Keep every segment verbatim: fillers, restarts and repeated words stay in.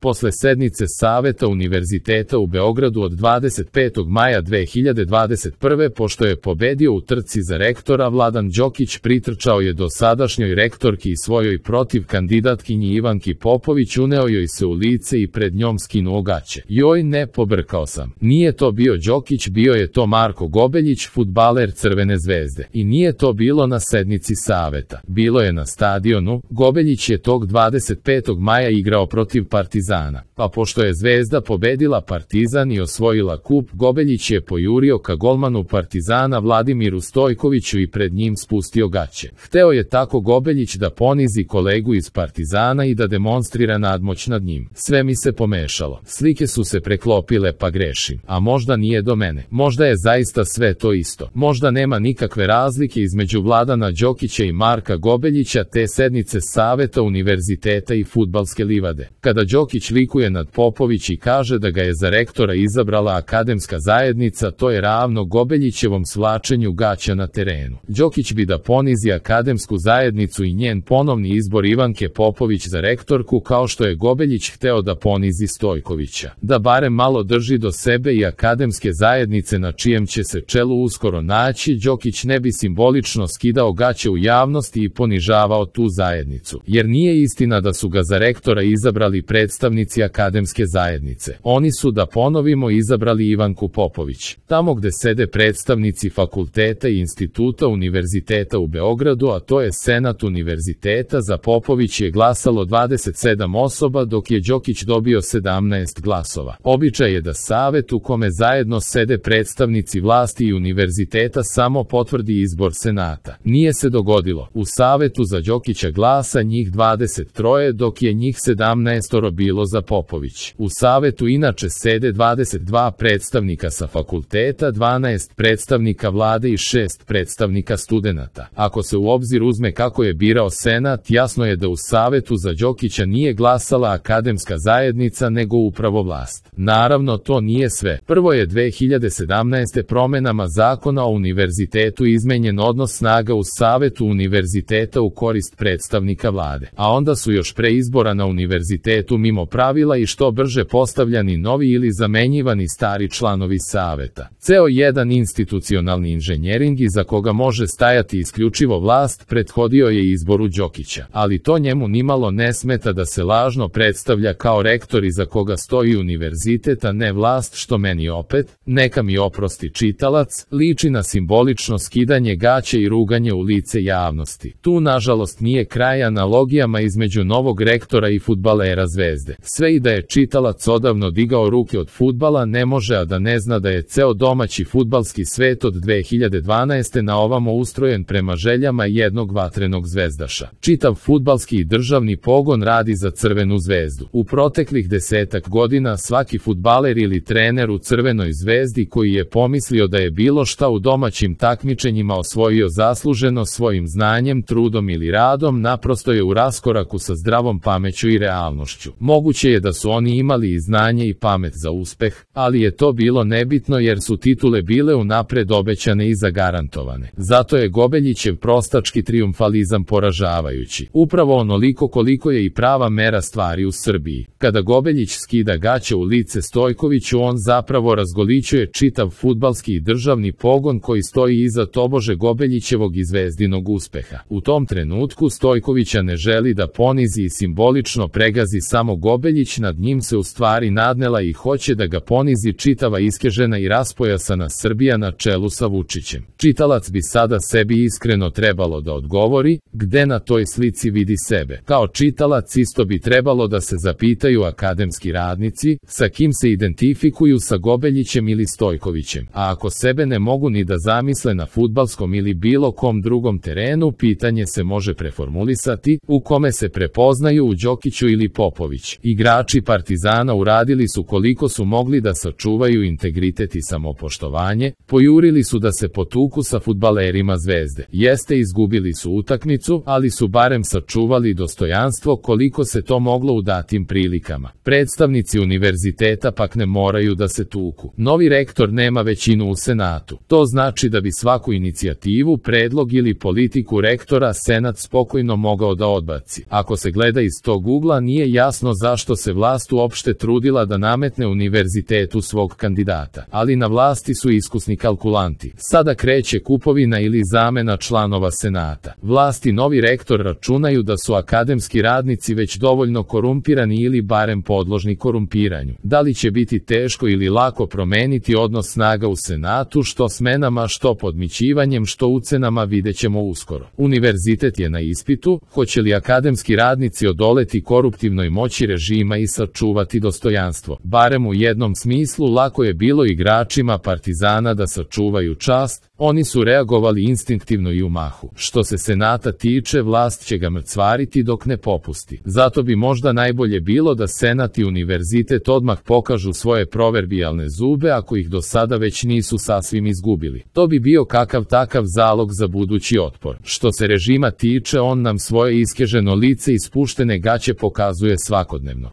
Posle sednice Saveta Univerziteta u Beogradu od dvadeset petog maja dve hiljade dvadeset prve. pošto je pobedio u trci za rektora, Vladan Đokić pritrčao je do sadašnjoj rektorki i svojoj protiv kandidatkinji Ivanki Popović, uneo joj se u lice i pred njom skinuo gaće. Joj ne, pobrkao sam. Nije to bio Đokić, bio je to Marko Gobeljić, fudbaler Crvene zvezde. I nije to bilo na sednici Saveta. Bilo je na stadionu. Gobeljić je tog dvadeset petog maja igrao protiv Partizana. Pa pošto je Zvezda pobedila Partizan i osvojila kup, Gobeljić je pojurio ka golmanu Partizana Vladimiru Stojkoviću i pred njim spustio gaće. Hteo je tako Gobeljić da ponizi kolegu iz Partizana i da demonstrira nadmoć nad njim. Sve mi se pomešalo. Slike su se preklopile, pa grešim. A možda nije do mene. Možda je zaista sve to isto. Možda nema nikakve razlike između Vladana Đokića i Marka Gobeljića, te sednice Saveta Univerziteta i fudbalske livade. Kada Đokić likuje nad Popović i kaže da ga je za rektora izabrala akademska zajednica, to je ravno Gobeljićevom svlačenju gaća na terenu. Đokić bi da ponizi akademsku zajednicu i njen ponovni izbor Ivanke Popović za rektorku, kao što je Gobeljić hteo da ponizi Stojkovića. Da barem malo drži do sebe i akademske zajednice na čijem će se čelu uskoro naći, Đokić ne bi simbolično skidao gaće u javnosti i ponižavao tu zajednicu. Jer nije istina da su ga za rektora izabrali predstavnici akademske zajednice. Oni su, da ponovimo, izabrali Ivanku Popović. Tamo gde sede predstavnici fakulteta i instituta Univerziteta u Beogradu, a to je Senat Univerziteta, za Popović je glasalo dvadeset sedam osoba, dok je Đokić dobio sedamnaest glasova. Običaj je da savet u kome zajedno sede predstavnici vlasti i univerziteta samo potvrdi izbor senata. Nije se dogodilo. U savetu za Đokića glasa njih dvadeset tri, dok je njih sedamnaest bilo za Popović. U savetu inače sede dvadeset dva predstavnika sa fakulteta, dvanaest predstavnika vlade i šest predstavnika studenata. Ako se u obzir uzme kako je birao senat, jasno je da u savetu za Đokića nije glasala akademska zajednica, nego upravo vlast. Naravno, to nije sve. Prvo je dve hiljade sedamnaeste. promenama zakona o univerzitetu izmenjen odnos snaga u savetu univerziteta u korist predstavnika vlade. A onda su još pre izbora na univerzitetu mimo pravila i što brže postavljani novi ili zamenjivani stari članovi saveta. Ceo jedan institucionalni inženjering iza koga može stajati isključivo vlast prethodio je izboru Đokića. Ali to njemu nimalo ne smeta da se lažno predstavlja kao rektor iza koga stoji univerzitet, a ne vlast, što meni opet, neka mi oprosti čitalac, liči na simbolično skidanje gaće i ruganje u lice javnosti. Tu nažalost nije kraj analogijama između novog rektora i fudbalera Zvezde. Sve i da je čitalac odavno digao ruke od fudbala, ne može a da ne zna da je ceo domaći fudbalski svet od dve hiljade dvanaeste. na ovamo ustrojen prema željama jednog vatrenog zvezdaša. Čitav fudbalski i državni pogon radi za Crvenu zvezdu. U proteklih desetak godina svaki fudbaler ili trener u Crvenoj zvezdi koji je pomislio da je bilo šta u domaćim takmičenjima osvojio zasluženo svojim znanjem, trudom ili radom, naprosto je u raskoraku sa zdravom pameću i realnošću. Moguće je da su oni imali i znanje i pamet za uspeh, ali je to bilo nebitno jer su titule bile unapred obećane i zagarantovane. Zato je Gobeljićev prostački trijumfalizam poražavajući. Upravo onoliko koliko je i prava mera stvari u Srbiji. Kada Gobeljić skida gaće u lice Stojkoviću, on zapravo razgolićuje čitav fudbalski i državni pogon koji stoji iza tobože Gobeljićevog i Zvezdinog uspeha. U tom trenutku Stojkovića ne želi da ponizi i simbolično pregazi samo Gobeljić, nad njim se u stvari nadnela i hoće da ga ponizi čitava iskežena i raspojasana Srbija na čelu sa Vučićem. Čitalac bi sada sebi iskreno trebalo da odgovori, gde na toj slici vidi sebe. Kao čitalac isto bi trebalo da se zapitaju akademski radnici, sa kim se identifikuju, sa Gobeljićem ili Stojkovićem. A ako sebe ne mogu ni da zamisle na fudbalskom ili bilo kom drugom terenu, pitanje se može preformulisati, u kome se prepoznaju, u Đokiću ili Popović. Igrači Partizana uradili su koliko su mogli da sačuvaju integritet i samopoštovanje, pojurili su da se potuku sa fudbalerima Zvezde. Jeste, izgubili su utakmicu, ali su barem sačuvali dostojanstvo koliko se to moglo u datim prilikama. Predstavnici univerziteta pak ne moraju da se tuku. Novi rektor nema većinu u senatu. To znači da bi svaku inicijativu, predlog ili politiku rektora senat spokojno mogao da odbaci. Ako se gleda iz tog ugla, nije jasno zašto zašto se vlast uopšte trudila da nametne univerzitetu svog kandidata. Ali na vlasti su iskusni kalkulanti. Sada kreće kupovina ili zamena članova senata. Vlast i novi rektor računaju da su akademski radnici već dovoljno korumpirani ili barem podložni korumpiranju. Da li će biti teško ili lako promeniti odnos snaga u senatu, što smenama, što podmićivanjem, što ucenama, videćemo uskoro. Univerzitet je na ispitu, hoće li akademski radnici odoleti koruptivnoj moći režima i sačuvati dostojanstvo. Barem u jednom smislu lako je bilo igračima Partizana da sačuvaju čast, oni su reagovali instinktivno i u mahu. Što se senata tiče, vlast će ga mrcvariti dok ne popusti. Zato bi možda najbolje bilo da senat i univerzitet odmah pokažu svoje proverbijalne zube ako ih do sada već nisu sasvim izgubili. To bi bio kakav takav zalog za budući otpor. Što se režima tiče, on nam svoje iskeženo lice i spuštene gaće pokazuje svakodnevno.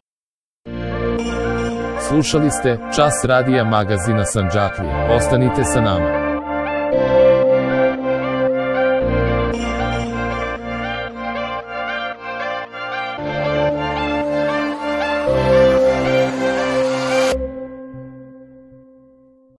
Slušali ste Čas radija magazina Sandžaklija. Ostanite sa nama.